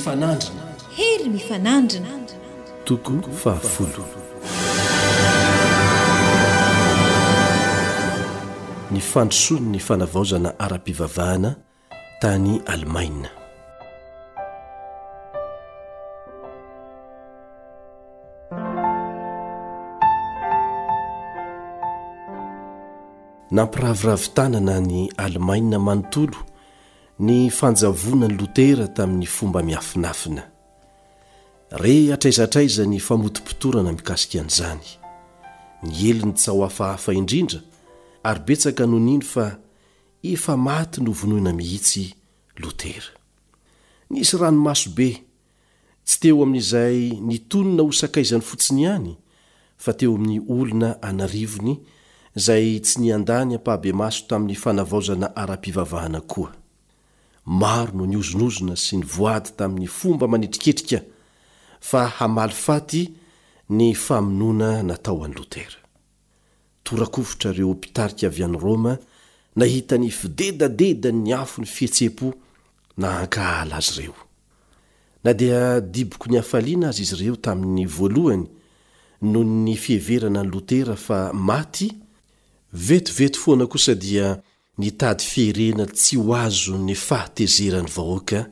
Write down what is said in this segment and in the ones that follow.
mifanandrina. Hery mifanandrina. Toko fahafolo. Ny fandrosoan'ny fanavaozana ara-pivavahana tany Alemaina. Nampiraviravy tanana an'i Alemaina manontolo ny fanjavonan'i Lotera tamin'ny fomba miafinafina. Re hatraiza hatraiza ny famotopotorana mikasika an'izany. Niely ny tsaho hafahafa indrindra ary betsaka no nino fa efa maty novonoina mihitsy Lotera. Nisy ranomaso be, tsy teo amin'izay nitonona ho sakaizany fotsiny ihany, fa teo amin'ny olona an'arivony izay tsy niandany ampahabemaso tamin'ny fanavaozana ara-pivavahana koa. Maro no nihozonozona sy nivoady tamin'ny fomba manetriketrika fa hamaly faty ny famonoana natao an'i Lotera. Tora-kovitra ireo mpitarika avy any Roma nahita ny fidedadedan'ny afon'ny fihetseham-po nahankahala azy ireo. Na dia diboky ny hafaliana aza izy ireo tamin'ny voalohany noho ny fiheverana an'i Lotera fa maty, vetivety foana kosa dia nitady fierena tsy ho azon'ny fahatezeran'ny vahoaka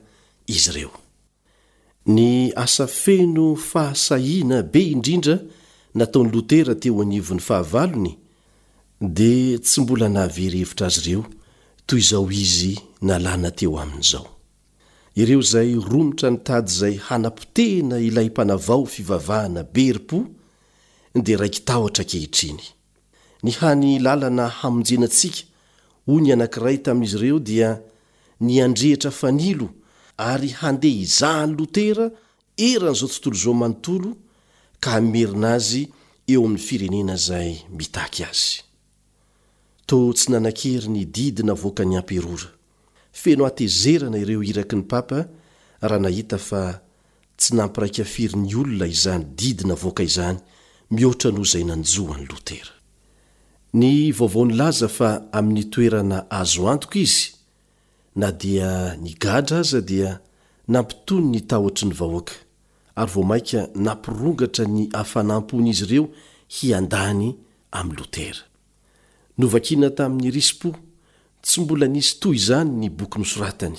izy ireo. Ny asa feno fahasahiana be indrindra nataon'i Lotera teo anivon'ny fahavalony dia tsy mbola nahavery hevitra azy ireo toy izao izy nalana teo aminy izao. Ireo izay romotra nitady izay hanapotehina ilay mpanavao fivavahana be herim-po dia raiki-tahotra ankehitriny. Ny hany lalana hamonjena antsika, hoy ny anankiray tamin'izy ireo, dia ny handrehitra fanilo ary handeha hizaha an'i Lotera eran'izao tontolo izao manontolo ka hamerina azy eo amin'ny firenena izay mitaky azy. Toa tsy nanan-kery ny didy navoakan'ny amperora. Feno hatezerana ireo iraky ny papa raha nahita fa tsy nampiraika firy ny olona izany didy navoaka izany mihoatra noho izay nanjo an'i Lotera. Ny vaovao nilaza fa amin'ny toerana azo antoka izy, na dia nigadra aza dia nampitony ny tahotry ny vahoaka ary vao mainka nampirongatra ny hafanam-pon'izy ireo hiandany amin'i Lotera. Novakina tamin'ny risi-po tsy mbola nisy toy izany ny boky nosoratany.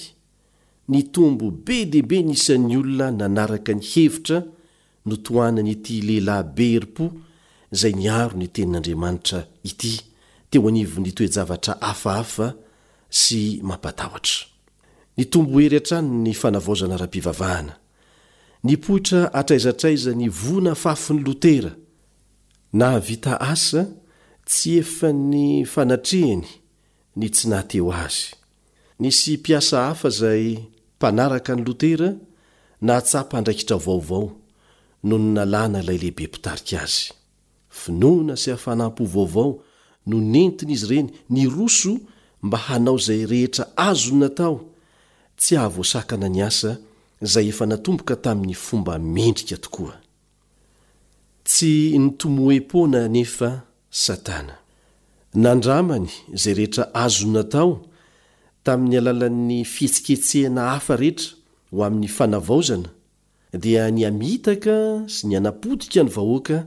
Nitombo be dia be ny isan'ny olona nanaraka ny hevitra notohanan'ity lehilahy be herim-po izay niaro ny Tenin'Andriamanitra ity teo anivon'ny toe-javatra hafahafa sy mampatahotra. Nitombo hery hatrany ny fanavaozana ara-pivavahana. Nipoitra hatraiza hatraiza ny voa nafafin'i Lotera. Nahavita asa tsy efan'ny fanatrehany ny tsy naha-teo azy. Nisy mpiasa hafa izay mpanaraka an'i Lotera nahatsapa andraikitra vaovao nony nalana ilay lehibe mpitarika azy. Finoana sy hafanam-po vaovao no nentin'izy ireny niroso mba hanao izay rehetra azony natao tsy hahavoasakana ny asa izay efa natomboka tamin'ny fomba mendrika tokoa. Tsy nitomoe-poana anefa Satana. Nandramany izay rehetra azony natao tamin'ny alalan'ny fihetsiketsehana hafa rehetra ho amin'ny fanavaozana, dia ny hamitaka sy ny hanapotika ny vahoaka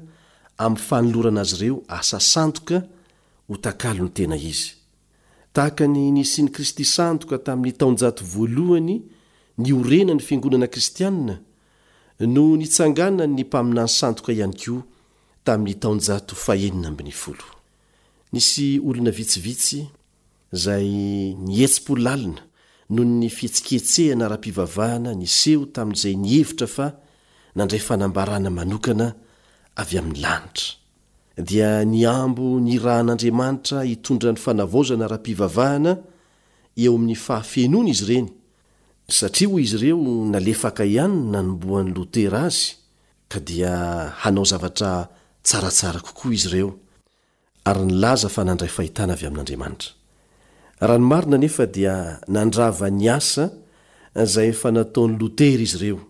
amin'ny fanolorana azy ireo asa sandoka ho takalon'ny tena izy. Tahaka ny nisian'i Kristy sandoka tamin'ny taonjato voalohany niorenan'ny fiangonana kristianina, no nitsanganan'ny mpaminany sandoka ihany koa tamin'ny taonjato fahenina ambinifolo. Nisy olona vitsivitsy izay nihetsi-po lalina noho ny fihetsiketsehana ara-pivavahana niseho tamin'izay nihevitra fa nandray fanambarana manokana avy amin'ny lanitra. Dia nihambo nirahan'Andriamanitra hitondra ny fanavaozana ara-pivavahana eo amin'ny fahafenoana izy ireny, satria hoy izy ireo nalefaka ihany ny nanombohan'i Lotera azy ka dia hanao zavatra tsaratsara kokoa izy ireo ary nilaza fa nandray fahitana avy amin'Andriamanitra. Raha ny marina anefa dia nandrava ny asa izay efa nataon'i Lotera izy ireo.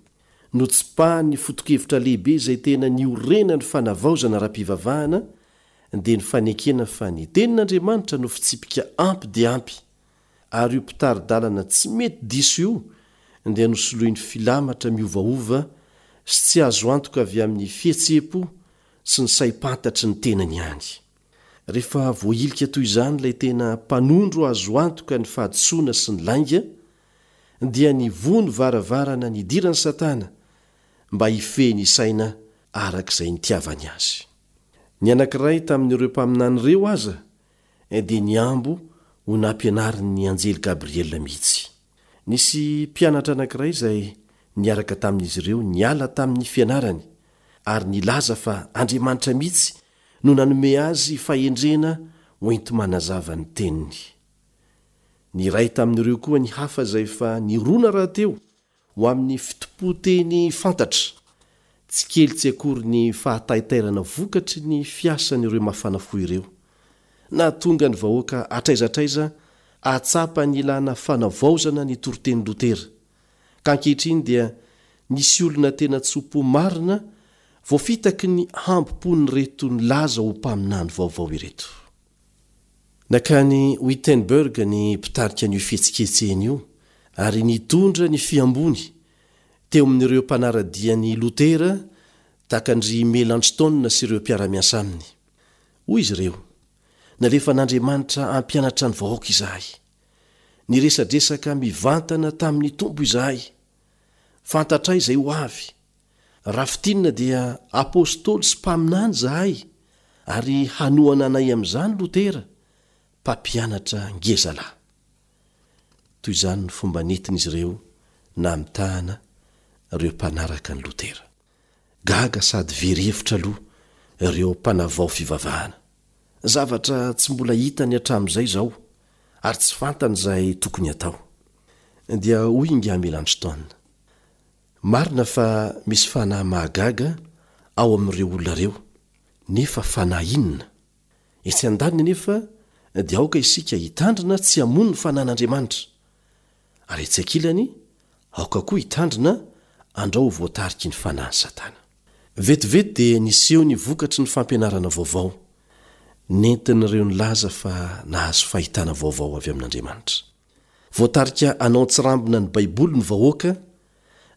Notsipahany ny foto-kevitra lehibe izay tena niorenan'ny fanavaozana ara-pivavahana dia ny fanekena fa ny Tenin'Andriamanitra no fitsipika ampy dia ampy ary io mpitari-dalana tsy mety diso io. dia nosoloiny filamatra miovaova sy tsy azo antoka avy amin'ny fihetseham-po sy ny saim-pantatry ny tenany ihany. Rehefa voahilika toy izany ilay tena mpanondro azo antoka ny fahadisoana sy ny lainga, dia nivoha ny varavarana nidiran'i Satana mba hifehy ny saina araka izay nitiavany azy. Ny anankiray tamin'ireo mpaminany ireo aza dia nihambo ho nampianarin'ny anjely Gabriela mihitsy. Nisy mpianatra anankiray izay niaraka tamin'izy ireo niala tamin'ny fianarany ary nilaza fa Andriamanitra mihitsy no nanome azy fahendrena hoenti-manazava ny teniny. Niray tamin'ireo koa ny hafa izay efa nirona rahateo ho amin'ny fitompoan-teny fantatra. Tsy kely tsy akory ny fahataitairana vokatry ny fiasan'ireo mafana fo ireo. Nahatonga ny vahoaka hatraiza hatraiza hahatsapa ny ilàna fanavaozana ny toriten'i Lotera. Ka ankehitriny dia nisy olona tena tso-po marina voafitaky ny hambom-pon'ireto nilaza ho mpaminany vaovao ireto. Nankany Wittenberg ny mpitarika an'io fihetsiketsehana io ary nitondra ny fihamboany teo amin'ireo mpanara-dia an'i Lotera tahaka an-dry Melanchthon sy ireo mpiara-miasa aminy. Hoy izy ireo, Nalefan'Andriamanitra hampianatra ny vahoaka izahay. Niresadresaka mivantana tamin'ny Tompo izahay. Fantatray izay ho avy. Raha fintinina dia apostoly sy mpaminany izahay ary hanohana anay amin'izany Lotera, mpampianatra ngezalahy. Toy izany ny fomba nentin'izy ireo namitahana ireo mpanaraka an'i Lotera. Gaga sady very hevitra aloha ireo mpanavao fivavahana. Zavatra tsy mbola hitany hatramin'izay izao ary tsy fantany izay tokony hatao. Dia hoy ingahy Melanchthon, Marina fa misy fanahy mahagaga ao amin'ireo olona ireo, nefa fanahy inona? Etsy andaniny anefa dia aoka isika hitandrina tsy hamono ny fanahin'Andriamanitra, ary etsy ankilany aoka koa hitandrina andrao ho voatariky ny fanahin'i Satana. Vetivety dia niseho ny vokatry ny fampianarana vaovao nentin'ireo nilaza fa nahazo fahitana vaovao avy amin'Andriamanitra. Voatarika hanao an-tsirambina ny Baiboly ny vahoaka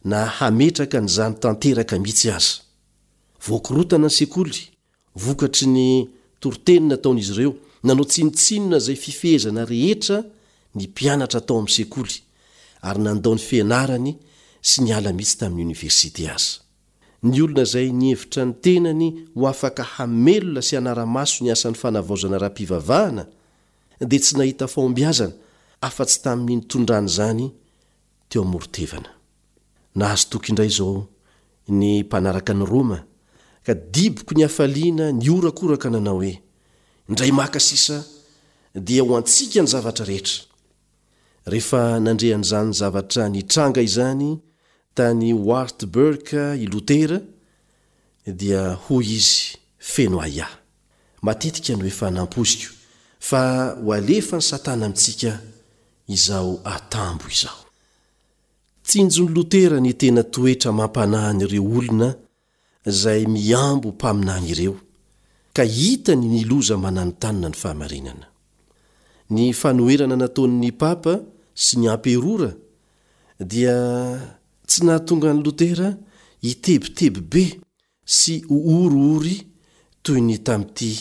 na hametraka an'izany tanteraka mihitsy aza. Voakorontana ny sekoly, vokatry ny toriteny nataon'izy ireo. Nanao tsinontsinona izay fifehezana rehetra ny mpianatra tao amin'ny sekoly, ary nandao ny fianarany sy niala mihitsy tamin'ny oniversite aza. Ny olona izay nihevitra ny tenany ho afaka hamelona sy hanara-maso ny asan'ny fanavaozana ara-pivavahana dia tsy nahita fahombiazana afa-tsy tamin'ny nitondrany izany teo amoron-tevana. Nahazo toky indray izao ny mpanaraka an'i Roma ka diboky ny hafaliana nihorakoraka nanao hoe, Indray maka sisa dia ho antsika ny zavatra rehetra! Rehefa nandre an'izany zavatra nitranga izany tany Wartburg i Lotera dia hoy izy feno ahiahy, Matetika no efa nampoiziko fa ho alefan'i Satana amintsika izao atambo izao. Tsinjon'i Lotera ny tena toetra mampanahin'ireo olona izay mihambo ho mpaminany ireo, ka hitany ny loza mananontanona ny fahamarinana. Ny fanoherana nataon'ny papa sy ny amperora dia tsy nahatonga an'i Lotera hitebiteby be sy ho oriory toy ny tamin'ity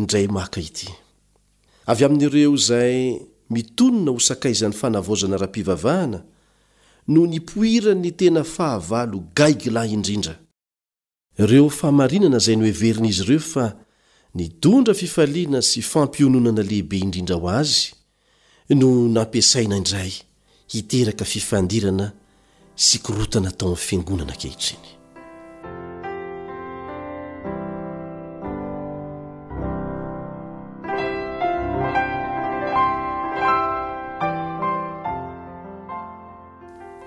indray maka ity. Avy amin'ireo izay mitonona ho sakaizan'ny fanavaozana ara-pivavahana no nipoiran'ny tena fahavalo gaigilahy indrindra. Ireo fahamarinana izay noheverin'izy ireo fa nitondra fifaliana sy fampiononana lehibe indrindra ho azy no nampiasaina indray hiteraka fifandirana sy korontana tao amin'ny fiangonana ankehitriny.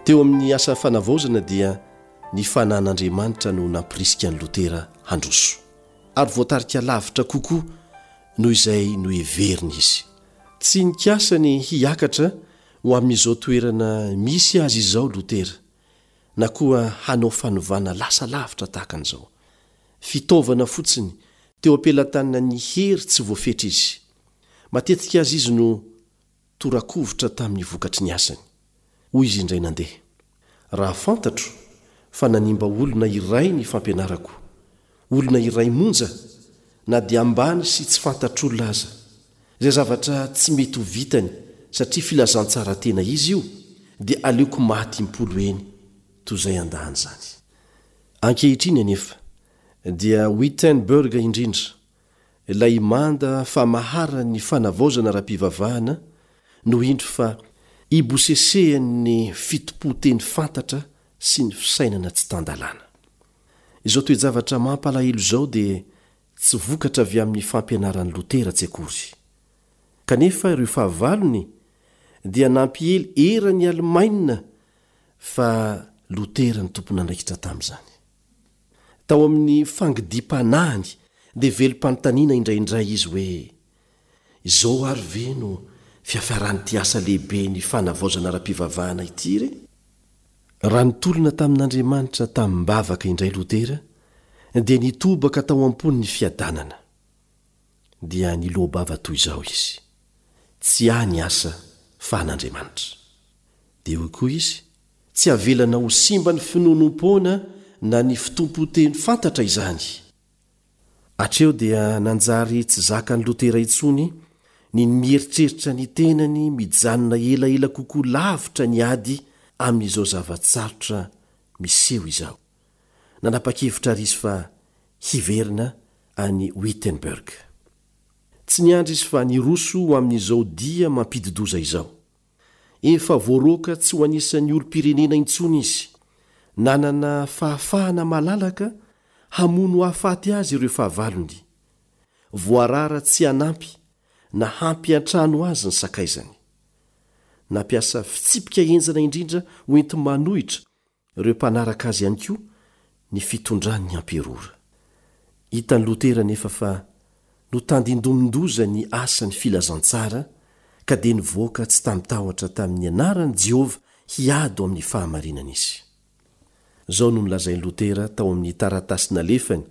Teo amin'ny asa fanavaozana dia ny fanan'Andriamanitra no nampirisika an'i Lotera handroso, ary voatarika lavitra kokoa noho izay noheveriny izy. Tsy nikasa ny hiakatra ho amin'izao toerana misy azy izao Lotera, na koa hanao fanovana lasa lavitra tahaka an'izao. Fitaovana fotsiny teo am-pelatanan'ny hery tsy voafetra izy. Matetika aza izy no tora-kovitra tamin'ny vokatry ny asany. Hoy izy indray nandeha. Raha fantatro fa nanimba olona iray ny fampianarako, olona iray monja, na dia ambany sy tsy fantatr'olona aza, izay zavatra tsy mety ho vitany satria filazantsara tena izy io, dia aleoko maty impolo eny toy izay handà an'izany. Ankehitriny anefa, dia Wittenberg indrindra, ilay manda famaharan'ny fanavaozana ara-pivavahana, no indro fa ibosesehan'ny fitompoan-teny fantatra sy ny fisainana tsy tan-dalàna. Izao toe-javatra mampalahelo izao dia tsy vokatra avy amin'ny fampianaran'i Lotera tsy akory. Kanefa ireo fahavalony dia nampiely eran'i Alemaina fa Lotera no tompon'andraikitra tamin'izany. Tao amin'ny fangidiam-panahiny dia velom-panontaniana indraindray izy hoe, Izao ary ve no fiafaran'ity asa lehibe ny fanavaozana ara-pivavahana ity re? Raha nitolona tamin'Andriamanitra tamim-bavaka indray Lotera, dia nitobaka tao am-pony ny fiadanana. Dia niloa-bava toy izao izy, Tsy ahy ny asa fa an'Andriamanitra. Dia hoy koa izy, Tsy avelanao ho simba ny finoanoam-poana na ny fitompoan-teny fantatra izany. Hatreo dia nanjary tsy zakan'i Lotera intsony ny mieritreritra ny tenany mijanona elaela kokoa lavitra ny ady amin'izao zava-tsarotra miseho izao. Nanapa-kevitra àry izy fa hiverina any Wittenberg. Tsy niandry izy fa niroso ho amin'izao dia mampidi-doza izao. Efa voaroaka tsy ho anisan'ny olom-pirenena intsony izy. Nanana fahafahana malalaka hamono hahafaty azy ireo fahavalony. Voarara tsy hanampy na hampiantrano azy ny sakaizany. Nampiasa fitsipika henjana indrindra ho enti-manohitra ireo mpanaraka azy ihany koa ny fitondran' ny amperora. Hitan'i Lotera anefa fa notandindomin-doza ny asan'ny filazantsara ka dia nivoaka tsy tamin-tahotra tamin'ny anaran'i Jehovah hiady ho amin'ny fahamarinana izy. Izao no nolazain'i Lotera tao amin'ny taratasy nalefany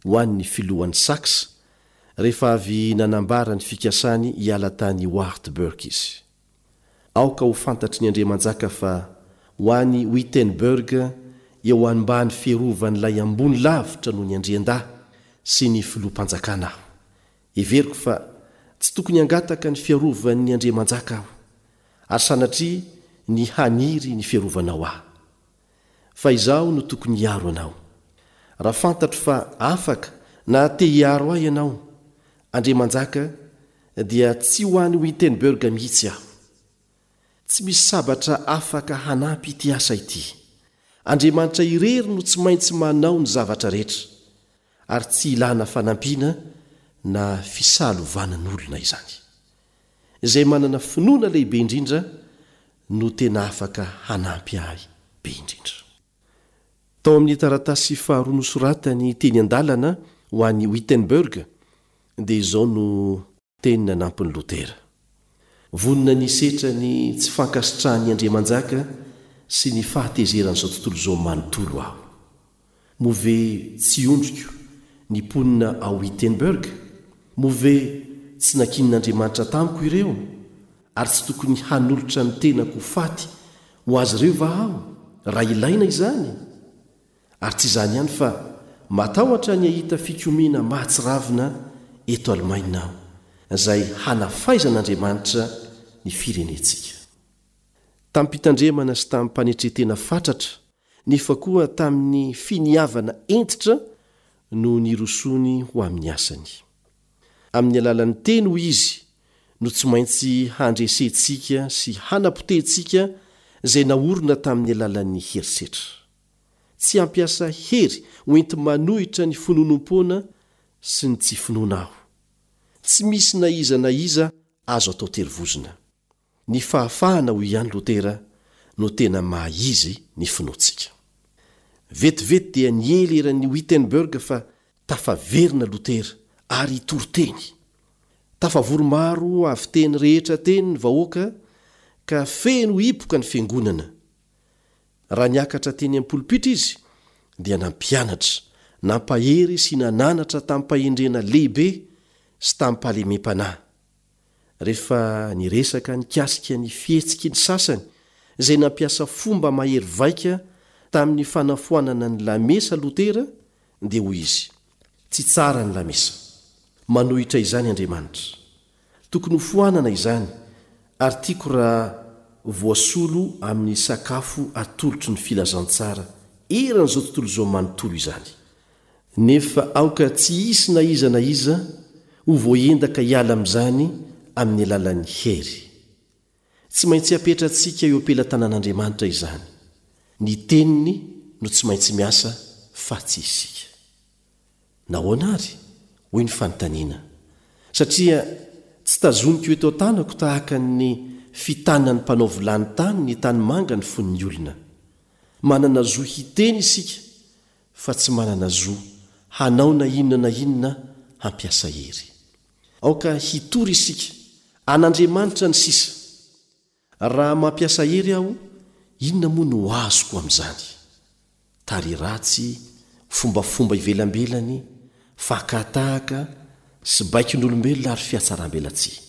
ho an'ny filohan'i Saxe rehefa avy nanambara ny fikasany hiala tany Wartburg izy. Aoka ho fantatry ny andriamanjaka fa ho any Wittenberg eo ambany fiarovan'ilay ambony lavitra noho ny andriandahy sy ny filoham-panjakana aho. Heveriko fa tsy tokony hangataka ny fiarovan'ny andriamanjaka aho, ary sanatria ny haniry ny fiarovanao ahy. Fa izaho no tokony hiaro anao. Raha fantatro fa afaka na te hiaro ahy ianao, andriamanjaka, dia tsy ho any Wittenberg mihitsy aho. Tsy misy sabatra afaka hanampy ity asa ity. Andriamanitra irery no tsy maintsy manao ny zavatra rehetra, ary tsy ilana fanampiana na fisalovanan'olona izany. Izay manana finoana lehibe indrindra no tena afaka hanampy ahy be indrindra. Tao amin'ny taratasy faharoa nosoratany teny an-dalana ho any Wittenberg dia izao no teny nanampin'i Lotera, Vonona ny hisetra ny tsy fankasitrahan'ny andriamanjaka sy ny fahatezeran'izao tontolo izao manontolo aho. Moa ve tsy ondriko ny mponina ao Wittenberg? Moa ve tsy nankinin'Andriamanitra tamiko ireo, ary tsy tokony hanolotra ny tenako ho faty ho azy ireo va aho, raha ilaina izany? Ary tsy izany ihany fa matahotra ny hahita fikomiana mahatsiravina eto Alemaina aho, izay hanafaizan'Andriamanitra ny firenentsika. Tamim-pitandremana sy tamim-panetren-tena fatratra nefa koa tamin'ny finiavana hentitra no nirosoany ho amin'ny asany. Amin'ny alalan'ny teny, hoy izy, no tsy maintsy handresentsika sy hanapotehintsika izay naorina tamin'ny alalan'ny herisetra. Tsy hampiasa hery ho enti-manohitra ny finoanoam-poana sy ny tsy finoana aho. Tsy misy na iza na iza azo atao terivozona. Ny fahafahana, hoy ihany Lotera, no tena maha izy ny finoantsika. Vetivety dia niely eran'i Wittenberg fa tafaverina Lotera ary hitory teny. Tafavory maro avy teny rehetra teny ny vahoaka ka feno hipoka ny fiangonana. Raha niakatra teny am-polopitra izy dia nampianatra, nampahery sy nananatra tamim-pahendrena lehibe sy tamim-pahalemem-panahy. rehefa niresaka nikasika ny fihetsiky ny sasany izay nampiasa fomba mahery vaika tamin'ny fanafoanana ny lamesa Lotera dia hoy izy, Tsy tsara ny lamesa. Manohitra izany Andriamanitra. Tokony hofoanana izany ary tiako raha voasolo amin'ny sakafo atolotry ny filazantsara eran'izao tontolo izao manontolo izany. Nefa aoka tsy hisy na iza na iza ho voaendaka hiala amin'izany amin'ny alalan'ny hery. Tsy maintsy apetratsika eo am-pelatanan'Andriamanitra izany. Ny Teniny no tsy maintsy miasa fa tsy isika. Nahoana àry? Hoy ny fanontaniana. Satria tsy tazoniko eto an-tanako tahaka ny fitanan'ny mpanao vilany tany ny tanimanga ny fon'ny olona. Manana zo hiteny isika fa tsy manana zo hanao na inona na inona hampiasa hery. Aoka hitory isika, an'Andriamanitra ny sisa. Raha mampiasa hery aho, inona moa no azoko amin'izany? Tarehy ratsy, fombafomba ivelambelany, fakà-tahaka, sy baikon'olombelona ary fihatsarambelatsihy.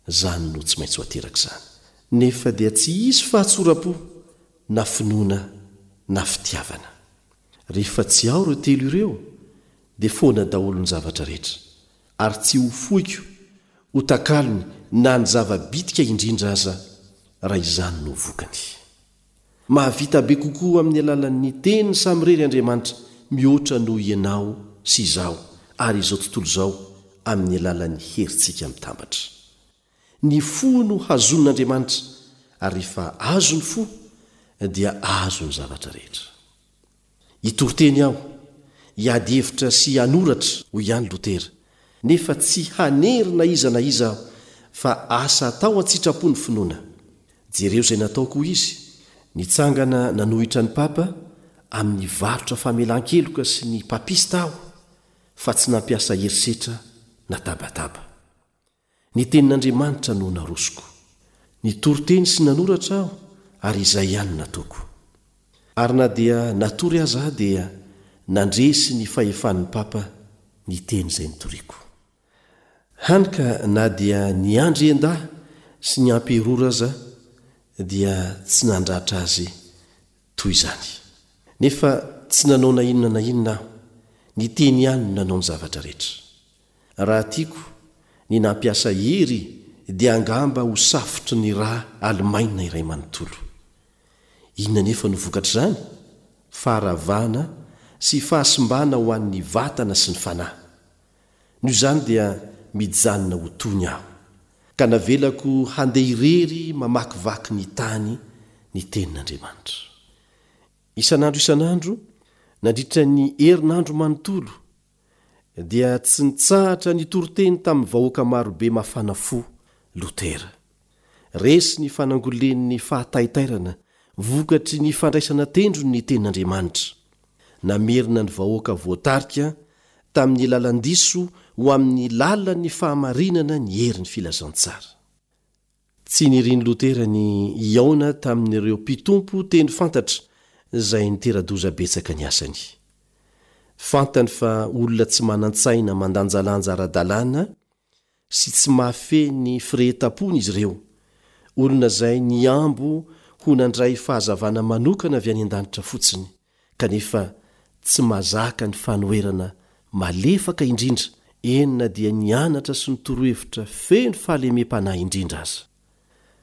Izany no tsy maintsy ho aterak'izany. Nefa dia tsy hisy fahatsoram-po, na finoana, na fitiavana. Rehefa tsy ao ireo telo ireo, dia foana daholo ny zavatra rehetra, ary tsy ho foiko ho takalony na ny zava-bitika indrindra aza raha izany no vokany. Mahavita be kokoa amin'ny alalan'ny Teniny samirery Andriamanitra mihoatra noho ianao sy izaho ary izao tontolo izao amin'ny alalan'ny herintsika mitambatra. Ny fo no hazonin'Andriamanitra ary rehefa azo ny fo dia azo ny zavatra rehetra. Hitory teny aho, hiady hevitra sy hanoratra, hoy ihany Lotera, nefa tsy hanery na iza na iza aho, fa asa atao an-tsitrapo ny finoana. Jereo izay nataoko, hoy izy, nitsangana nanohitra ny Papa amin'ny varotra famelan-keloka sy ny papista aho, fa tsy nampiasa herisetra na tabataba. Ny Tenin'Andriamanitra no narosoko. Nitory teny sy nanoratra aho ary izay ihany no nataoko. Ary na dia natory aza aho dia nandresy ny fahefan'ny Papa ny teny izay nitoriako. Hany ka na dia ny andriandahy sy ny amperora aza dia tsy nandratra azy toy izany. Nefa tsy nanao na inona na inona aho, ny teny ihany no nanao ny zavatra rehetra. Raha tiako ny nampiasa hery dia angamba ho safotry ny rà Alemaina iray manontolo. Inona anefa no vokatr'izany? Faharavana sy fahasimbana ho an'ny vatana sy ny fanahy. Noho izany dia mijanona ho tony aho, ka navelako handeha irery mamakivaky ny tany ny Tenin'Andriamanitra. Isan'andro isan'andro, nandritra ny herinandro manontolo, dia tsy nitsahatra nitory teny tamin'ny vahoaka marobe mafana fo Lotera. Resy ny fanangolen'ny fahataitairana vokatry ny fandraisana tendrony ny Tenin'Andriamanitra. Namerina ny vahoaka voatarika tamin'ny lalan-diso ho amin'ny lalan'ny fahamarinana ny herin'ny filazantsara. Tsy nirin'i Lotera ny hihaona tamin'ireo mpitompo teny fantatra izay nitera-doza betsaka ny asany. Fantany fa olona tsy manan-tsaina mandanjalanja ara-dalàna sy tsy mahafehy ny firehetam-pony izy ireo, olona izay nihambo ho nandray fahazavana manokana avy any an-danitra fotsiny, kanefa tsy mazaka ny fanoherana malefaka indrindra, eny na dia ny anatra sy ny torohevitra feno fahalemem-panahy indrindra aza.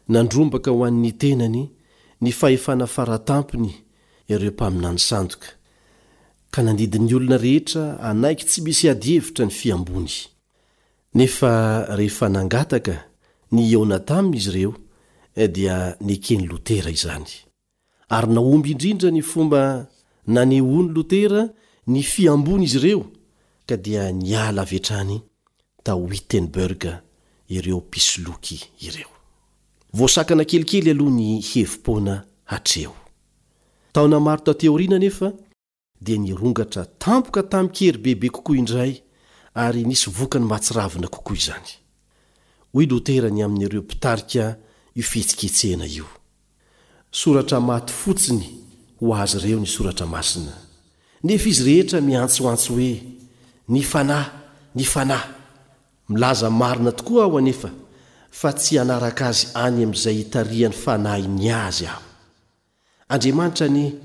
Nandrombaka ho an'ny tenany ny fahefana faratampony ireo mpaminany sandoka, ka nandidy ny olona rehetra hanaiky tsy misy adihevitra ny fihamboany. Nefa rehefa nangataka ny hihaona taminy izy ireo, dia neken'i Lotera izany. Ary nahomby indrindra ny fomba nanehoan'i Lotera ny fihamboan'izy ireo, ka dia niala avy hatrany tao Wittenberg ireo mpisoloky ireo. Voasakana kelikely aloha ny hevi-poana hatreo. Taona maro taty aoriana anefa, dia nirongatra tampoka tamin-kery bebe kokoa indray ary nisy vokany mahatsiravina kokoa izany. Hoy Lotera ny amin'ireo mpitarika io fihetsiketsehana io, Soratra maty fotsiny ho azy ireo ny Soratra Masina, nefa izy rehetra miantsoantso hoe, Ny Fanahy! Ny Fanahy! Milaza marina tokoa aho anefa fa tsy hanaraka azy any amin'izay itarihan'ny Fanahiny azy aho. Andriamanitra anie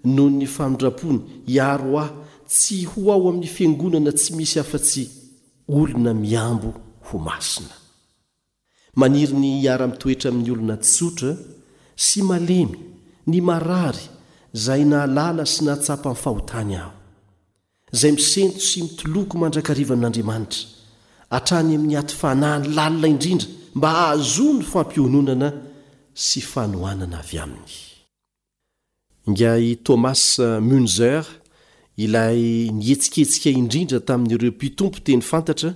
noho ny famindrampony, hiaro ahy tsy ho ao amin'ny fiangonana tsy misy afa-tsy olona mihambo ho masina. Maniry ny hiara-mitoetra amin'ny olona tsotra sy malemy, ny marary, izay nahalala sy nahatsapa ny fahotany aho. Izay misento sy mitoloko mandrakariva amin'Andriamanitra, hatrany amin'ny aty fanahiny lalina indrindra mba hahazoany fampiononana sy fanohanana avy aminy. Ingahy Thomas Müntzer, ilay nihetsiketsika indrindra tamin'ireo mpitompo teny fantatra,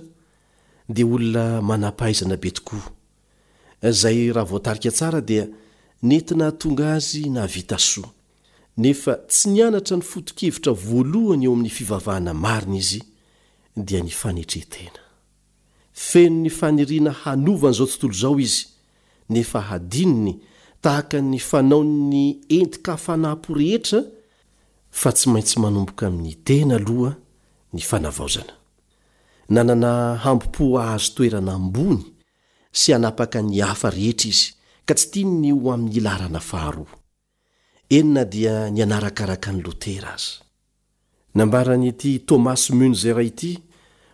dia olona manam-pahaizana be tokoa, izay raha voatarika tsara dia nety nahatonga azy nahavita soa. Nefa tsy nianatra ny foto-kevitra voalohany eo amin'ny fivavahana marina izy, dia ny fanetren-tena. Feno ny faniriana hanova an'izao tontolo izao izy, nefa hadinony tahaka ny fanaon'ny entin-kafanampo rehetra fa tsy maintsy manomboka amin'ny tena aloha ny fanavaozana. Nanana hambom-po hahazo toerana ambony sy hanapaka ny hafa rehetra izy, ka tsy tiany ny ho amin'ny laharana faharoa. Eny na dia ny hanarakaraka an'i Lotera aza. Nambaran'ity Thomas Münzer ity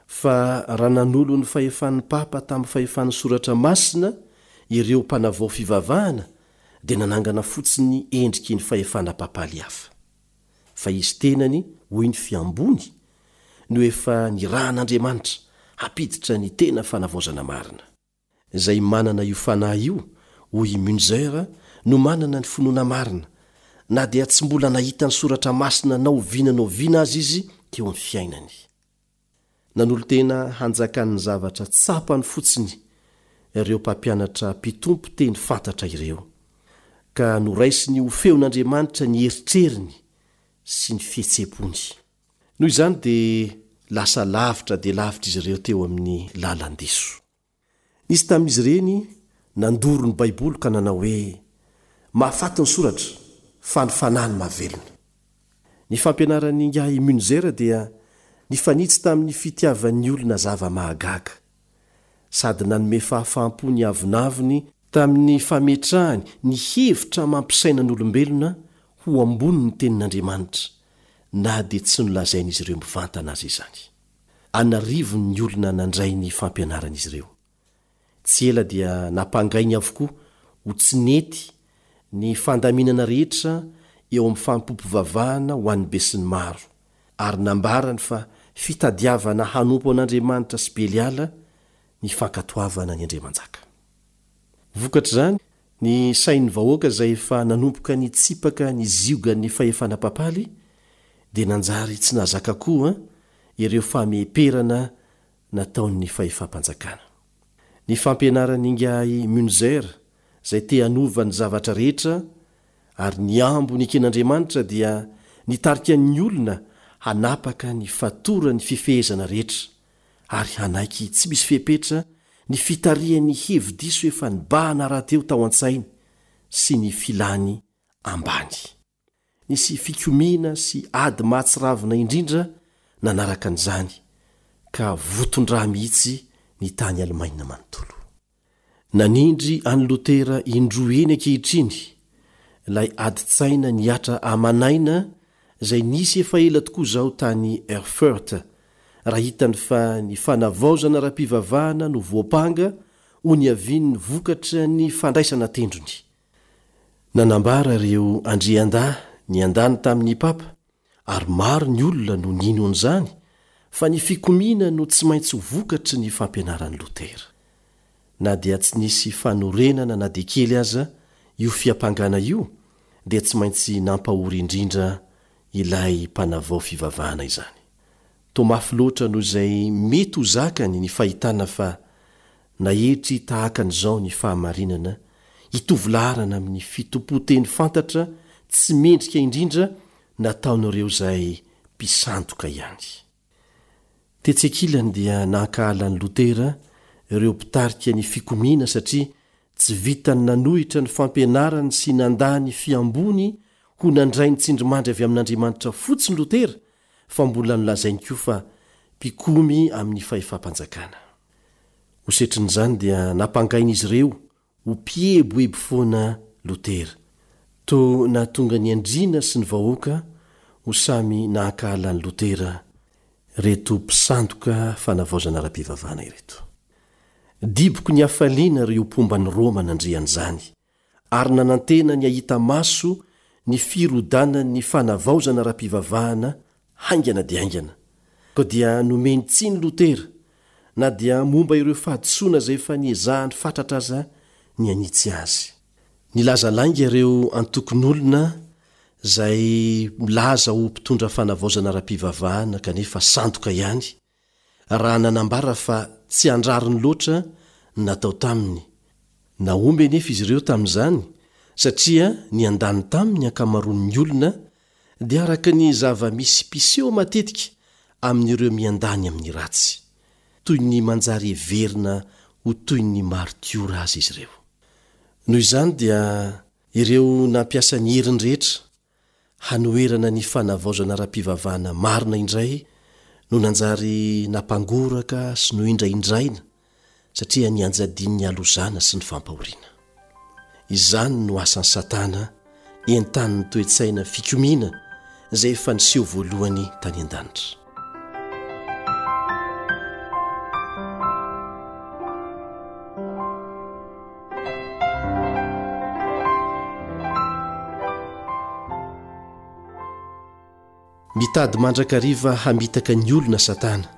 fa raha nanolo ny fahefan'ny Papa tamin'ny fahefan'ny Soratra Masina ireo mpanavao fivavahana dia nanangana fotsiny endriky ny fahefana papaly hafa. Fa izy tenany, hoy ny fiambony, no efa nirahan'Andriamanitra hampiditra ny tena fanavaozana marina. Izay manana io fanahy io, hoy i Münzer, no manana ny finoana marina, na dia tsy mbola nahita ny soratra masina na oviana na oviana aza izy teo amin'ny fiainany. Nanolo-tena hanjakan'ny zavatra tsapany fotsiny ireo mpampianatra mpitompo teny fantatra ireo, ka noraisiny ho feon'Andriamanitra ny eritreriny sy ny fihetseham-pony. Noho izany dia lasa lavitra dia lavitra izy ireo teo amin'ny lalan-diso. Nisy tamin'izy ireny nandoro ny Baiboly ka nanao hoe, Mahafaty ny soratra, fa ny fanahy no mahavelona. Ny fampianaran'Ingahy Münzer dia nifanitsy tamin'ny fitiavan'ny olona zava-mahagaga, sady nanome fahafaham-po ny avonavony tamin'ny fametrahany ny hevitra amam-pisainan'olombelona ho ambonin'ny Tenin'Andriamanitra, na dia tsy nolazain'izy ireo mivantana aza izany. An'arivony ny olona nandray ny fampianaran'izy ireo. Tsy ela dia nampangainy avokoa ho tsy nety ny fandaminana rehetra eo amin'ny fanompoam-pivavahana ho an'ny besinimaro, ary nambarany fa fitadiavana hanompo an'Andriamanitra sy Beliala ny fankatoavana ny andriamanjaka. Vokatr'izany, ny sain'ny vahoaka izay efa nanomboka nitsipaka ny ziogan'ny fahefana papaly dia nanjary tsy nahazaka koa ireo fameperana nataon'ny fahefam-panjakana. Ny fampianaran'ingahy Münzer izay te hanova ny zavatra rehetra ary nihambo neken'Andriamanitra dia nitarika ny olona hanapaka ny fatoran'ny fifehezana rehetra ary hanaiky tsy misy fepetra ny fitarihan'ny hevi-diso efa nibahana rahateo tao an-tsainy sy ny filany ambany. Nisy fikomiana sy ady mahatsiravina indrindra nanaraka an'izany, ka voton-dra mihitsy ny tany Alemaina manontolo. Nanindry an'i Lotera indroa eny ankehitriny ilay adin-tsaina nihatra aman'aina izay nisy efa ela tokoa izao tany Erfurt, raha hitany fa ny fanavaozana ara-pivavahana no voampanga ho niavian'ny vokatra ny fandraisana an-tendrony. Nanambara ireo andriandahy niandany tamin'ny papa, ary maro ny olona no nino an'izany, fa ny fikomiana no tsy maintsy ho vokatry ny fampianaran'i Lotera. Na dia tsy nisy fanorenana na dia kely aza io fiampangana io, dia tsy maintsy nampahory indrindra ilay mpanavao fivavahana izany. Toa mafy loatra noho izay mety ho zakany ny fahitana fa naetry tahaka an'izao ny fahamarinana hitovy laharana amin'ny fitompoan-teny fantatra tsy mendrika indrindra nataon'ireo izay mpisandoka ihany. Tetsy ankilany dia nankahala an'i Lotera ireo mpitarika ny fikomiana satria tsy vitan'ny nanohitra ny fampianarany sy nandà ny fihamboany ho nandray ny tsindrimandry avy amin'Andriamanitra fotsiny Lotera fa mbola nolazainy koa fa mpikomy amin'ny fahefam-panjakana. Ho setrin'izany dia nampangain'izy ireo ho mpieboebo foana Lotera. Toa nahatonga ny andriana sy ny vahoaka ho samy nahankahala an'i Lotera ireto mpisandoka fanavaozana ara-pivavahana ireto. Diboky ny hafaliana ireo mpomba an'i Roma nandre an'izany, ary nanantena ny hahita maso ny firodanan'ny fanavaozana ara-pivavahana haingana dia haingana. Koa dia nomeny tsiny Lotera, na dia momba ireo fahadisoana izay efa niezahany fatratra aza ny hanitsy azy. Nilaza lainga ireo antokon'olona izay milaza ho mpitondra fanavaozana ara-pivavahana kanefa sandoka ihany, raha nanambara fa tsy an-drariny loatra ny natao taminy. Nahomby anefa izy ireo tamin'izany satria niandany taminy ny ankamaroan'ny olona dia araka ny zava-misy mpiseho matetika amin'ireo miandany amin'ny ratsy. Toy ny manjary heverina ho toy ny maritiora aza izy ireo. Noho izany dia ireo nampiasa ny heriny rehetra hanoherana ny fanavaozana ara-pivavahana marina indray no nanjary nampangoraka sy nohindrahindraina satria nianjadian'ny halozana sy ny fampahoriana. Izany no asan'i Satana entanin'ny toe-tsaina fikomiana izay efa niseho voalohany tany an-danitra. Mitady mandrakariva hamitaka ny olona Satana,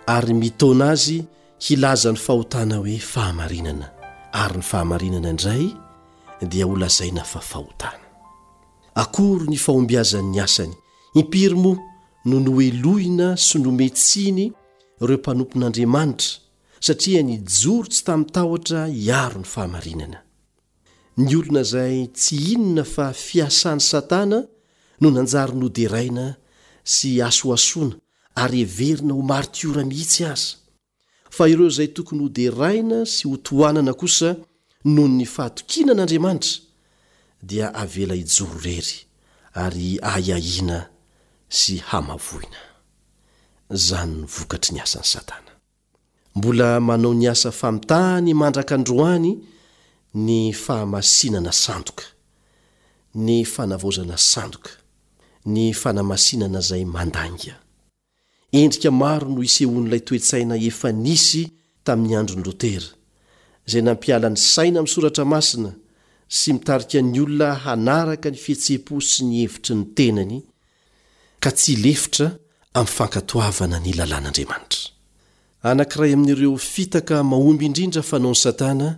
ary mitaona azy hilaza ny fahotana hoe fahamarinana, ary ny fahamarinana indray dia holazaina fa fahotana. Akory ny fahombiazan'ny asany! Impiry moa no nohelohina sy nomen-tsiny ireo mpanompon'Andriamanitra, satria nijoro tsy tamin-tahotra hiaro ny fahamarinana! Ny olona izay tsy inona fa fiasan'i Satana no nanjary noderaina sy asoasoana ary heverina ho martiora mihitsy aza. Fa ireo izay tokony hoderaina sy hotohanana kosa noho ny fahatokiana an'Andriamanitra dia avela hijoro irery ary ahiahiana sy hamavoina. Izany no vokatry ny asan'i Satana. Mbola manao ny asa famitahany mandraka androany ny fahamasinana sandoka, ny fanavaozana sandoka, ny fanamasinana izay mandainga. Endrika maro no isehoan'ilay toe-tsaina efa nisy tamin'ny andron'i Lotera, izay nampiala ny saina amin'ny Soratra Masina sy mitarika ny olona hanaraka ny fihetseham-po sy ny hevitry ny tenany, ka tsy hilefitra amin'ny fankatoavana ny lalàn'Andriamanitra. Anankiray amin'ireo fitaka mahomby indrindra fanaon'i Satana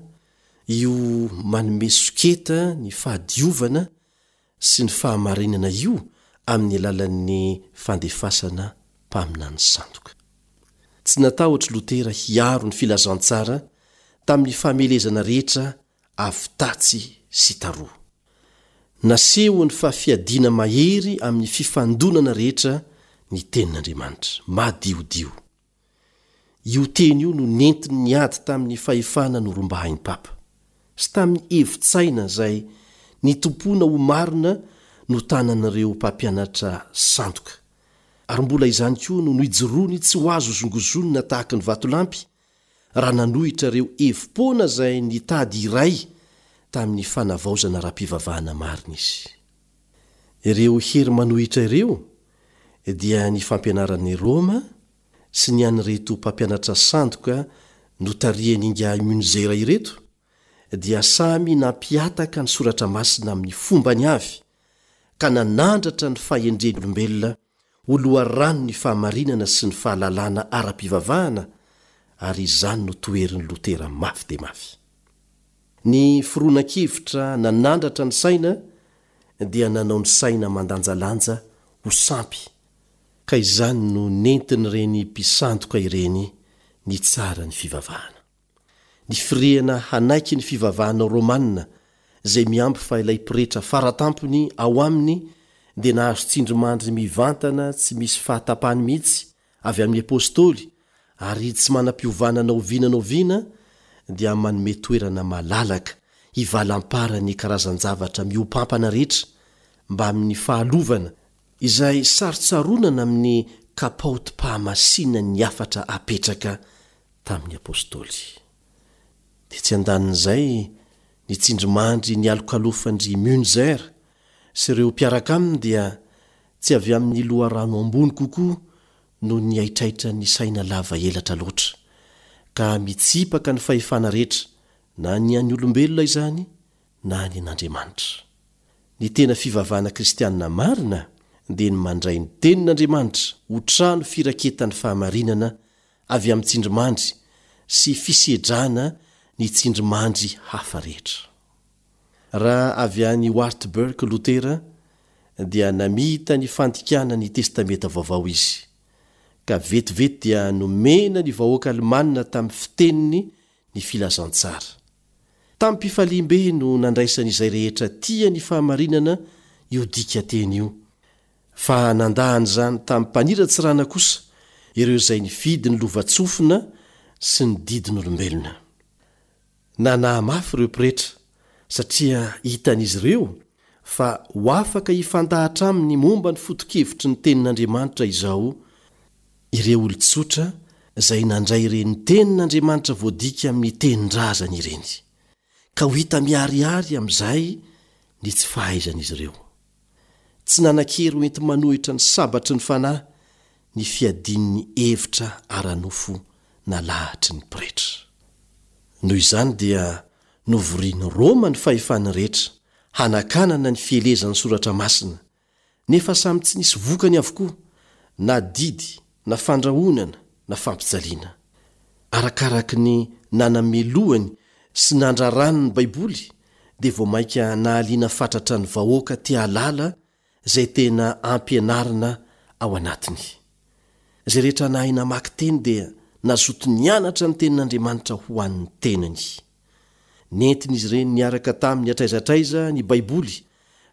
io manome soketa ny fahadiovana sy ny fahamarinana io amin'ny alalan'ny fandefasana mpaminany sandoka. Tsy natahotra Lotera hiaro ny filazantsara tamin'ny famelezana rehetra avy tatsy sy taroa. Nasehony fa fiadiana mahery amin'ny fifandonana rehetra ny Tenin'Andriamanitra. Madiodio. Io teny io no nentiny niady tamin'ny fahefana norombahin'ny Papa, sy tamin'ny hevi-tsaina izay nitompoana ho marina notanan'ireo mpampianatra sandoka. Ary mbola izany koa no nijoroany tsy ho azo hozongozonina tahaka ny vatolampy raha nanohitra ireo hevi-poana izay nitady hiray tamin'ny fanavaozana ara-pivavahana marina izy. Ireo hery manohitra ireo dia ny fampianaran'i Roma sy ny an'ireto mpampianatra sandoka notarihan'ingahy Münzer ireto dia samy nampihataka ny Soratra Masina amin'ny fombany avy ka nanandratra ny fahendren'olombelona ho loharanon'ny fahamarinana sy ny fahalalana ara-pivavahana, ary izany no toherin'i Lotera mafy dia mafy. Ny fironan-kevitra nanandratra ny saina dia nanao ny saina mandanjalanja ho sampy, ka izany no nentin'ireny mpisandoka ireny nitsara ny fivavahana. Ny firehana hanaiky ny fivavahana rômana izay mihambo fa ilay pretra faratampony ao aminy dia nahazo tsindrimandry mivantana tsy misy fahatapany mihitsy avy amin'ny apôstôly ary tsy manam-piovana na oviana na oviana dia manome toerana malalaka hivalam-paran'ny karazan-javatra mihoampampana rehetra mbamin'ny fahalovana izay sarotsaronana amin'ny kapaotim-pahamasinan'ny hafatra apetraka tamin'ny Apostoly. Tetsy an-danin'izay, ny tsindrimandry nialokalofan-dry Münzer. sy ireo mpiaraka aminy dia tsy avy amin'ny loharano ambony kokoa noho ny haitraitran'ny saina lava elatra loatra, ka mitsipaka ny fahefana rehetra, na ny an'ny olombelona izany na ny an'Andriamanitra. Ny tena fivavahana kristianina marina dia ny mandray ny Tenin'Andriamanitra ho trano firaketan'ny fahamarinana avy amin'ny tsindrimandry sy fisedrana ny tsindrimandry hafa rehetra. Raha avy any Wartburg Lotera dia namita ny fandikana ny Testamenta Vaovao izy, ka vetivety dia nomena ny vahoaka alemanina tamin'ny fiteniny ny filazantsara. Tamim-pifaliam-be no nandraisan'izay rehetra tia ny fahamarinana io dikanteny io, fa nandà an'izany tamim-paniratsirana kosa ireo izay nifidy ny lovantsofina sy ny didin'olombelona. Nanahy mafy ireo pretra, satria hitan'izy ireo fa ho afaka hifandahatra aminy momba ny foto-kevitry ny Tenin'Andriamanitra izao ireo olon-tsotra izay nandray ireny Tenin'Andriamanitra voadika amin'ny tenin-drazany ireny, ka ho hita miharihary amin'izay ny tsy fahaizan'izy ireo. Tsy nanan-kery ho enti-manohitra ny sabatry ny Fanahy ny fiadian'ny hevitra ara-nofo nalahatry ny pretra. Noho izany dia novorian'i Roma ny fahefany rehetra hanakanana ny fielezan'ny Soratra Masina, nefa samy tsy nisy vokany avokoa na didy na fandrahonana na fampijaliana. Arakaraky ny nanamelohany sy nandrarany ny Baiboly dia vao mainka nahaliana fatratra ny vahoaka te hahalala izay tena ampianarina ao anatiny. Izay rehetra nahay namaky teny dia nazoto nianatra ny Tenin'Andriamanitra ho an'ny tenany. Nentin'izy ireny niaraka taminy hatraiza hatraiza ny Baiboly,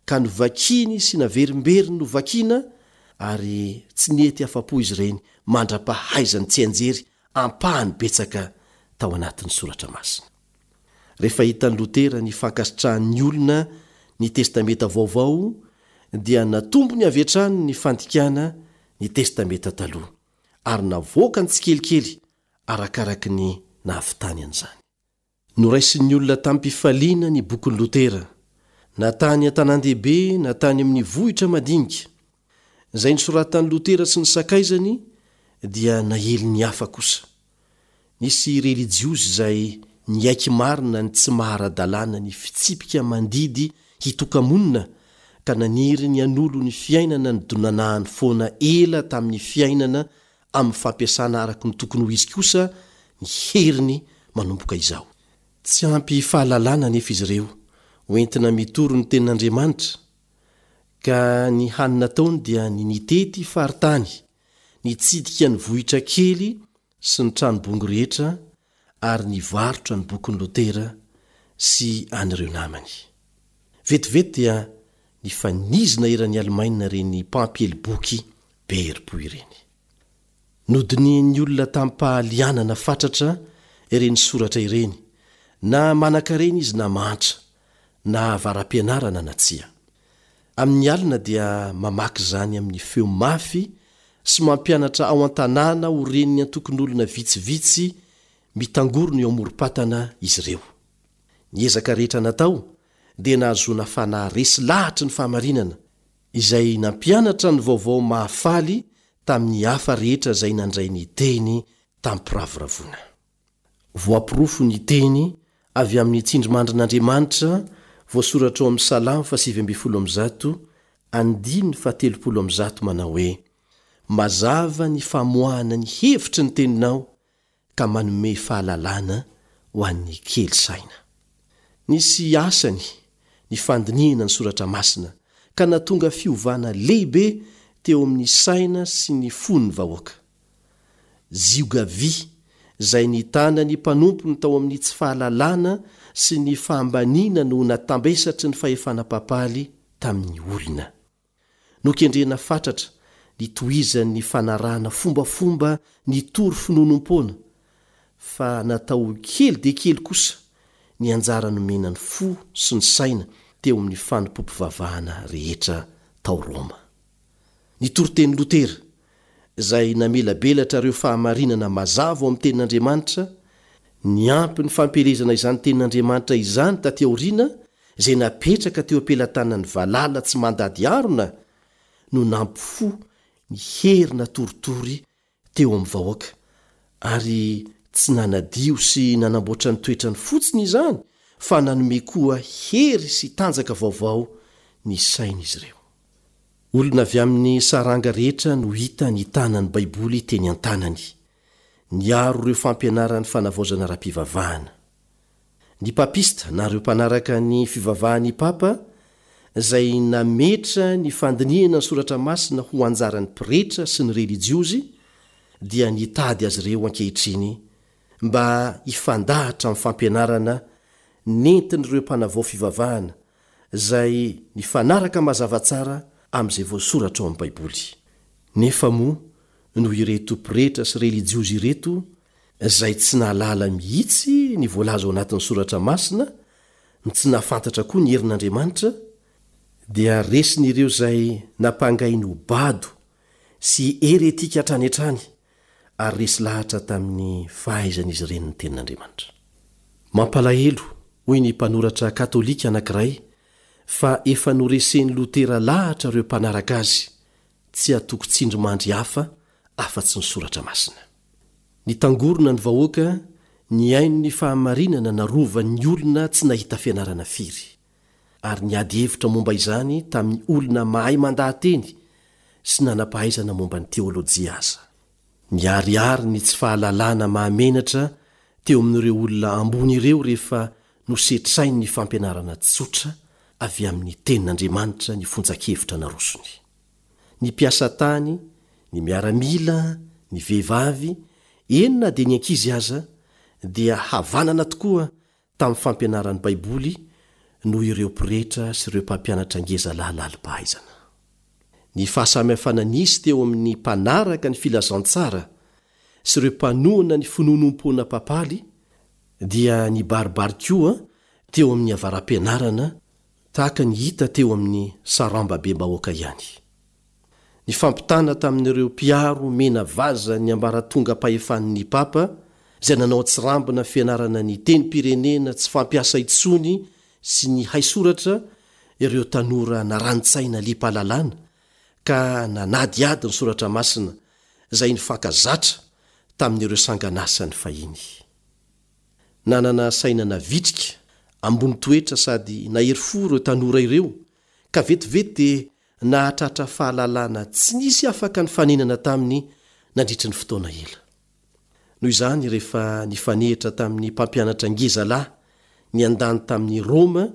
ka novakiny sy naverimberiny novakina, ary tsy nety afa-po izy ireny mandra-pahaizany tsianjery ampahany betsaka tao anatin'ny Soratra Masina. Rehefa hitan'i Lotera ny fankasitrahan'ny olona ny Testamenta Vaovao, dia natombony avy hatrany ny fandikana ny Testamenta Taloha, ary navoakany tsikelikely arakaraky ny nahavitany an'izany. Noraisin'ny olona tamim-pifaliana ny bokin'i Lotera, na tany an-tanàn-dehibe na tany amin'ny vohitra madinika. Izay nosoratan'i Lotera sy ny sakaizany dia naelin'ny hafa kosa. Nisy relijiozy izay niaiky marina ny tsy maha ara-dalàna ny fitsipika mandidy hitoka-monina ka naniry ny hanolo ny fiainana nidonanahany foana ela tamin'ny fiainana amin'ny fampiasana araka ny tokony ho izy kosa ny heriny manomboka izao. Tsy ampy fahalalana anefa izy ireo ho entina mitory ny Tenin'Andriamanitra, ka ny hany nataony dia ny nitety faritany, nitsidika ny vohitra kely sy ny trano bongo rehetra ary nivarotra ny bokin'i Lotera sy an'ireo namany. Vetivety dia nifanizina eran'i Alemaina ireny mpampiely boky be herim-po ireny. Nodinihin'ny olona tamim-pahalianana fatratra ireny soratra ireny, na manankarena izy na mahantra, na avara-pianarana na tsia. Amin'ny alina dia mamaky izany amin'ny feo mafy sy mampianatra ao an-tanàna ho ren'ny antokon'olona vitsivitsy mitangorona eo amorom-patana izy ireo. Ny ezaka rehetra natao dia nahazoana fanahy resy lahatry ny fahamarinana, izay nampianatra ny vaovao mahafaly tamin'ny hafa rehetra izay nandray ny teny tamim-piravoravoana. Voaporofo ny teny avy amin'ny tsindrimandrin'Andriamanitra voasoratra ao amin'ny Salamo faha 119, andininy faha-130 manao hoe, Mazava ny famoahana ny hevitry ny teninao ka manome fahalalana ho an'ny kely saina. Nisy asany ny fandinihana ny Soratra Masina, ka nahatonga fiovana lehibe teo amin'ny saina sy ny fon'ny vahoaka. Zioga vy, izay nitana ny mpanompony tao amin'ny tsy fahalalana sy ny fahambaniana no natambesatry ny fahefana papaly tamin'ny olona. Nokendrena fatratra ny tohizan'ny fanarahana fombafomba nitory finoanoam-poana, fa natao ho kely dia kely kosa ny anjara nomena ny fo sy ny saina teo amin'ny fanompoam-pivavahana rehetra tao Roma. Ny toritenin'i Lotera, izay namelabelatra ireo fahamarinana mazava ao amin'ny Tenin'Andriamanitra, niampy ny fampielezana izany Tenin'Andriamanitra izany taty aoriana, izay napetraka teo am-pelatanan'ny valala tsy mandady harona no nampifoha ny hery natoritory teo amin'ny vahoaka, ary tsy nanadio sy nanamboatra ny toetrany fotsiny izany fa nanome koa hery sy tanjaka vaovao ny sain'izy ireo. Olona avy amin'ny saranga rehetra no hita nitana ny Baiboly teny an-tanany, niaro ireo fampianaran'ny fanavaozana ara-pivavahana. Ny papista na ireo mpanaraka ny fivavahan'ny papa izay nametra ny fandinihana ny soratra masina ho anjaran'ny pretra sy ny relijiozy dia nitady azy ireo ankehitriny mba hifandahatra amin'ny fampianarana nentin'ireo mpanavao fivavahana izay nifanaraka mazava tsara amin'izay voasoratra ao amin'ny Baiboly. Nefa moa noho ireto pretra sy relijiozy ireto izay tsy nahalala mihitsy ny voalaza ao anatin'ny Soratra Masina, no tsy nahafantatra koa ny herin'Andriamanitra, dia resin'ireo izay nampangainy ho bado sy heretika hatrany hatrany ary resy lahatra tamin'ny fahaizan'izy ireny ny Tenin'Andriamanitra. Mampalahelo, hoy ny mpanoratra katolika anankiray, fa efa noresen'i Lotera lahatra ireo mpanaraka azy, tsy hatoky tsindrimandry hafa afa-tsy ny Soratra Masina. Nitangorona ny vahoaka nihaino ny fahamarinana narovan'ny olona tsy nahita fianarana firy, ary niady hevitra momba izany tamin'ny olona mahay mandaha-teny sy nanam-pahaizana momba ny teolojia aza. Niharihary ny tsy fahalalana mahamenatra teo amin'ireo olona ambony ireo rehefa nosetrainy ny fampianarana tsotra avy amin'ny Tenin'Andriamanitra ny fonjan-kevitra narosony. Ny mpiasa tany, ny miaramila, ny vehivavy, eny na dia ny ankizy aza, dia havanana tokoa tamin'ny fampianaran'ny Baiboly noho ireo pretra sy ireo mpampianatra ngeza lahy lalim-pahaizana. Ny fahasamihafana nisy teo amin'ny mpanaraka ny filazantsara sy ireo mpanohana ny finoanoam-poana papaly dia nibaribary koa teo amin'ny avara-pianarana tahaka ny hita teo amin'ny sarambabem-bahoaka ihany. Ny fampitana tamin'ireo mpiaro mena vaza ny ambaratongam-pahefan'ny Papa, izay nanao an-tsirambina fianarana ny tenim-pirenena tsy fampiasa intsony sy ny haisoratra ireo tanora narani-tsaina liam-pahalalana ka nanadihady ny soratra masina izay nifankazatra tamin'ireo sangan'asany fahiny. Nanana saina navitrika, ambony toetra sady nahery fo ireo tanora ireo ka vetivety dia nahatratra fahalalana tsy nisy afaka nifanenana taminy nandritry ny fotoana ela. Noho izany, rehefa nifanehitra tamin'ny mpampianatra ngezalahy niandany tamin'i Roma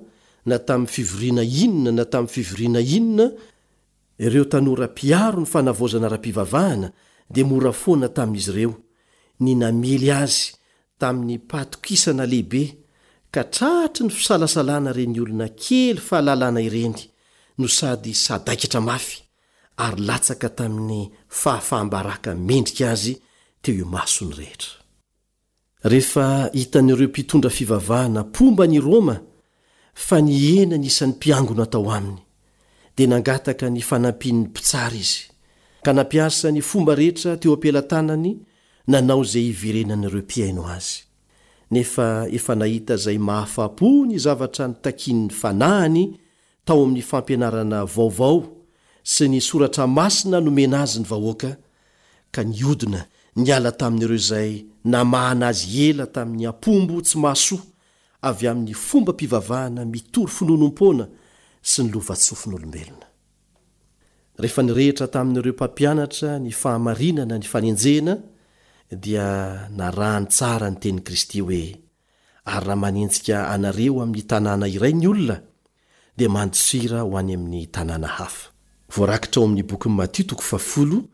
na tamin'ny fivoriana inona na tamin'ny fivoriana inona, ireo tanora mpiaro ny fanavaozana ara-pivavahana dia mora foana tamin'izy ireo ny namely azy tamim-pahatokisana lehibe ka tratry ny fisalasalana ireny olona kely fahalalana ireny no sady sadaikatra mafy ary latsaka tamin'ny fahafaham-baraka mendrika azy teo imason'ny rehetra. Rehefa hitan'ireo mpitondra fivavahana mpomba an' i Roma fa nihena ny isan'ny mpiangona tao aminy, dia nangataka ny fanampian'ny mpitsara izy, ka nampiasa ny fomba rehetra teo am-pelatanany nanao izay hiverenan'ireo mpihaino azy. Nefa efa nahita izay mahafa-po ny zavatra notakian'ny fanahiny tao amin'ny fampianarana vaovao sy ny soratra masina nomena azy ny vahoaka, ka nihodina niala tamin'ireo izay namahana azy ela tamin'ny ampombo tsy mahasoa avy amin'ny fombam-pivavahana mitory finoanoam-poana sy ny lovantsofin'olombelona. Rehefa nirehitra tamin'ireo mpampianatra ny fahamarinana ny fanenjehana, dia narahany tsara ny tenin'i Kristy hoe, Ary raha manenjika anareo amin'ny tanàna iray ny olona, dia mandosira ho any amin'ny tanàna hafa. Voarakitra ao amin'ny bokin'i Matio toko fahafolo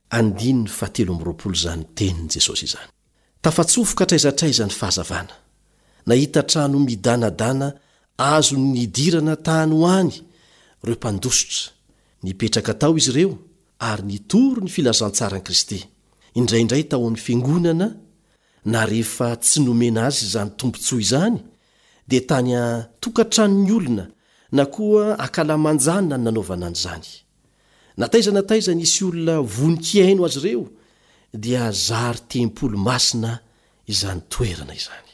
andininy fahatelo amby 20 izany tenin'i Jesosy izany. Tafatsofoka hatraiza hatraiza ny fahazavana. Nahita trano midanadana azony nidirana tany ho any ireo mpandositra. Nipetraka tao izy ireo ary nitory ny filazantsaran'i Kristy, indraindray tao amin'ny fiangonana na rehefa tsy nomena azy izany tombontsoa izany dia tany an-tokantranon'ny olona na koa ankalamanjana no nanaovana an'izany. Na taiza na taiza nisy olona vonon-kihaino azy ireo dia zary tempoly masina izany toerana izany.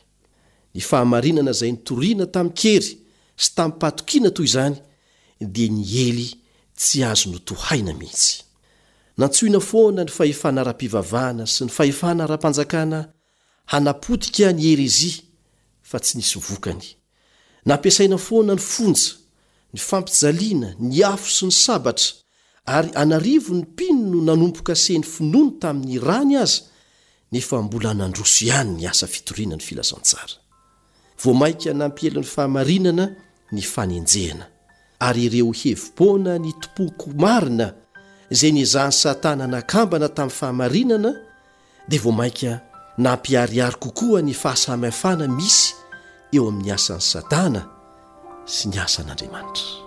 Ny fahamarinana izay nitoriana tamin-kery. sy tamim-pahatokiana toy izany dia niely tsy azo notohaina mihitsy. Nantsoina foana ny fahefana ara-pivavahana sy ny fahefana ara-panjakana hanapotika ny herezia fa tsy nisy vokany. Nampiasaina foana ny fonja, ny fampijaliana, ny afo sy ny sabatra, ary an'arivony ny mpino no nanomboka-se ny finoany tamin'ny rany aza, nefa mbola nandroso ihany ny asa fitoriana ny filazantsara. Vao mainka nampiely ny fahamarinana ny fanenjehana, ary ireo hevi-poana nitompoako marina izay niezahan'i Satana nakambana tamin'ny fahamarinana dia vao mainka nampiharihary kokoa ny fahasamihafana misy eo amin'ny asan'i Satana sy ny asan'Andriamanitra.